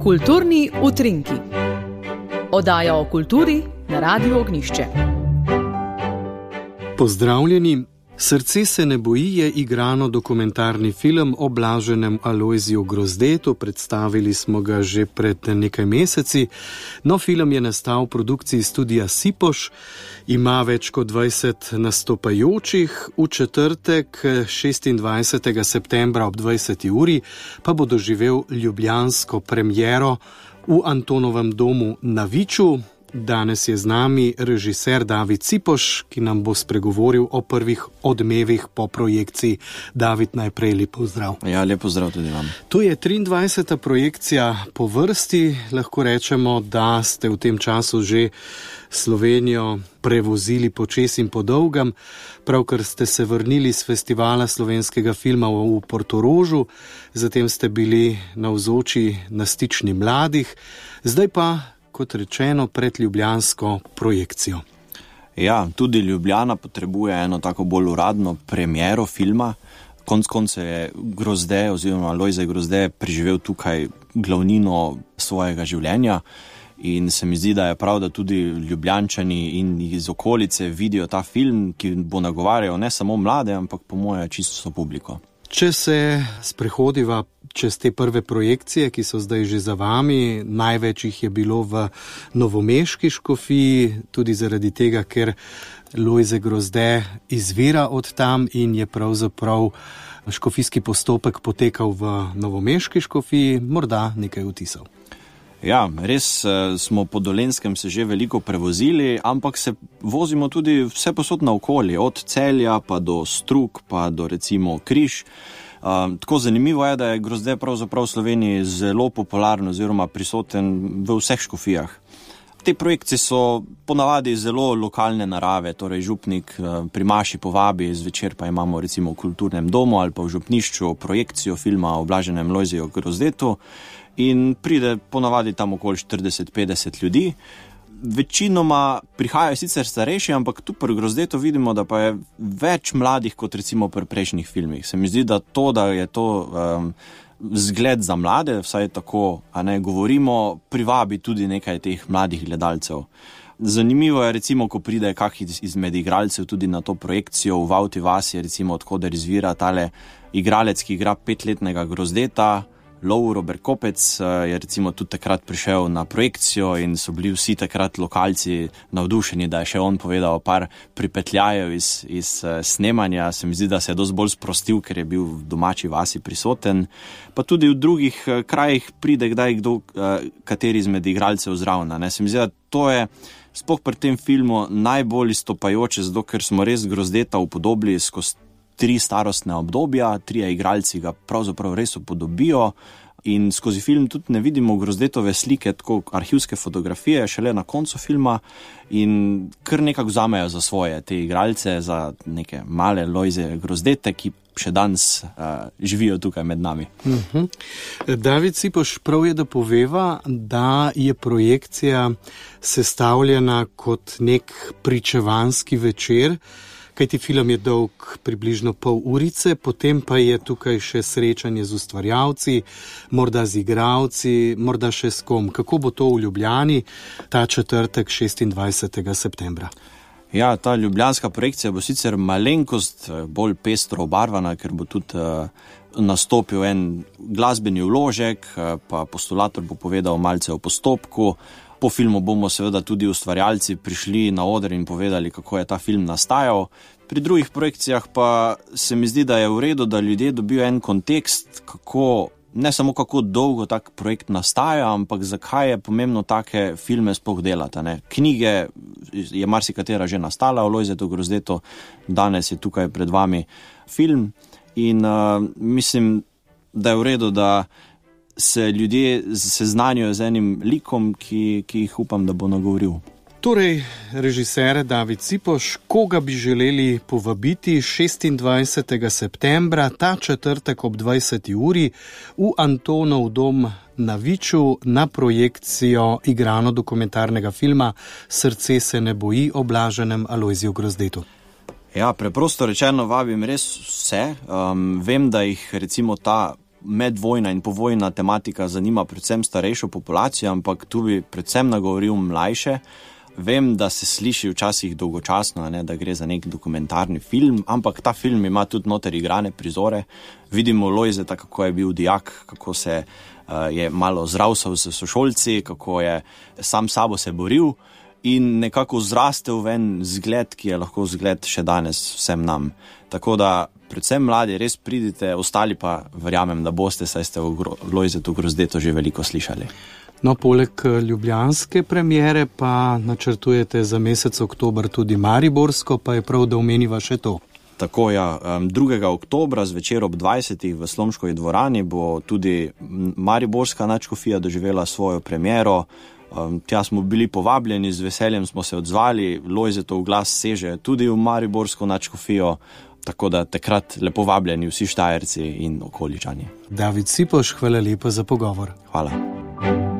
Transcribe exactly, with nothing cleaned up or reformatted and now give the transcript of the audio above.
Kulturni utrinki. Oddaja o kulturi na Radiu Ognjišče. Pozdravljeni. Srce se ne boji je igrano dokumentarni film o blaženem Alojziju Grozdetu. Predstavili smo ga že pred nekaj meseci. No, film je nastal v produkciji studia Sipoš, ima več kot dvajset nastopajočih. V četrtek, šestindvajsetega septembra ob dvajseti uri, pa bo doživel ljubljansko premiero v Antonovem domu na Viču. Danes je z nami režiser David Sipoš, ki nam bo spregovoril o prvih odmevih po projekciji. David, najprej lep pozdrav. Ja, lep pozdrav tudi vam. To je triindvajseta projekcija po vrsti. Lahko rečemo, da ste v tem času že Slovenijo prevozili počez in po dolgem. Pravkar ste se vrnili z festivala slovenskega filma v Portorožu, zatem ste bili navzoči na Stični mladih, zdaj pa kot rečeno, pred ljubljansko projekcijo. Ja, tudi Ljubljana potrebuje eno tako bolj uradno premiero filma. Konec koncev je Grozde oziroma Alojzij Grozde preživel tukaj glavnino svojega življenja in se mi zdi, da je prav, da tudi Ljubljančani in iz okolice vidijo ta film, ki bo nagovarjal ne samo mlade, ampak po moje čisto publiko. Če se sprehodiva čez te prve projekcije, ki so zdaj že za vami, največ jih je bilo v novomeški škofiji, tudi zaradi tega, ker Alojzij Grozde izvira od tam in je pravzaprav škofijski postopek potekal v novomeški škofiji, morda nekaj vtisov. Ja, res smo po Dolenjskem se že veliko prevozili, ampak se vozimo tudi vse posod naokoli, od Celja pa do Strug, pa do recimo Križ. Uh, tako zanimivo je, da je Grozde pravzaprav v Sloveniji zelo popularen oziroma prisoten v vseh škofijah. Te projekcije so ponavadi zelo lokalne narave, torej župnik uh, pri maši povabi, zvečer pa imamo recimo v kulturnem domu ali pa v župnišču projekcijo filma o blaženem Alojziju Grozdetu in pride ponavadi tam okoli štirideset petdeset ljudi. Večinoma prihajajo sicer starejši, ampak tu pri Grozdetu vidimo, da pa je več mladih kot recimo pri prejšnjih filmih. Se mi zdi, da to, da je to um, zgled za mlade, vsaj tako, a ne govorimo, privabi tudi nekaj teh mladih gledalcev. Zanimivo je recimo, ko pride kak izmed igralcev tudi na to projekcijo v Vavti vasi, recimo odkoder izvira tale igralec, ki igra petletnega Grozdeta, Lovro Berkopec, je recimo tudi takrat prišel na projekcijo in so bili vsi takrat lokalci navdušeni, da je še on povedal par pripetljajev iz, iz snemanja. Se mi zdi, da se je dosti bolj sprostil, ker je bil v domači vasi prisoten. Pa tudi v drugih krajih pride kdaj kdo, kateri izmed igralcev zraven. Se mi zdi, da to je sploh pri tem filmu najbolj izstopajoče, zato ker smo res Grozdeta upodobili skozi tri starostne obdobja, trije igralci ga pravzaprav res upodobijo in skozi film tudi ne vidimo Grozdetove slike, tako arhivske fotografije, šele na koncu filma in kar nekako vzamejo za svoje te igralce, za neke male Alojzije Grozdete, ki še danes uh, živijo tukaj med nami. Uh-huh. David Sipoš, prav je, da poveva, da je projekcija sestavljena kot nek pričevanski večer, kajti film je dolg približno pol urice, potem pa je tukaj še srečanje z ustvarjalci, morda z igralci, morda še s kom. Kako bo to v Ljubljani ta četrtek, šestindvajsetega septembra? Ja, ta ljubljanska projekcija bo sicer malenkost bolj pestro obarvana, ker bo tudi uh, nastopil en glasbeni vložek, uh, pa postulator bo povedal malce o postopku. Po filmu bomo seveda tudi ustvarjalci prišli na oder in povedali, kako je ta film nastajal. Pri drugih projekcijah pa se mi zdi, da je v redu, da ljudje dobijo en kontekst, kako, ne samo kako dolgo tak projekt nastaja, ampak zakaj je pomembno take filme sploh delati. Ne? Knjige je marsikatera že nastala o Alojziju Grozdetu, danes je tukaj pred vami film in uh, mislim, da je v redu, da se ljudje seznanjajo z enim likom, ki, ki jih upam, da bo nagovoril. Torej, režiser David Sipoš, koga bi želeli povabiti šestindvajsetega septembra, ta četrtek ob dvajseti uri v Antonov dom na Viču na projekcijo igrano dokumentarnega filma Srce se ne boji o blaženem Alojziju Grozdetu? Ja, preprosto rečeno vabim res vse. Um, vem, da jih recimo ta medvojna in povojna tematika zanima predvsem starejšo populacijo, ampak tu bi predvsem nagovoril mlajše. Vem, da se sliši včasih dolgočasno, ne, da gre za nek dokumentarni film, ampak ta film ima tudi noter igrane prizore. Vidimo Lojzeta, kako je bil dijak, kako se uh, je malo zravsal s sošolci, kako je sam sabo se boril in nekako zrastel ven zgled, ki je lahko zgled še danes vsem nam. Tako da predvsem mladi res pridite, ostali pa verjamem, da boste, saj ste o Lojzetu Grozdetu že veliko slišali. No, poleg ljubljanske premiere pa načrtujete za mesec oktober tudi mariborsko, pa je prav, da omeniva še to. Tako, ja. drugega oktobra zvečer ob dvajsetih v Slomškovi dvorani bo tudi mariborska nadškofija doživela svojo premiero. Tja smo bili povabljeni, z veseljem smo se odzvali, Lojzetov glas seže tudi v mariborsko nadškofijo, tako da takrat lepo vabljeni vsi Štajerci in okoličani. David Sipoš, hvala lepa za pogovor. Hvala.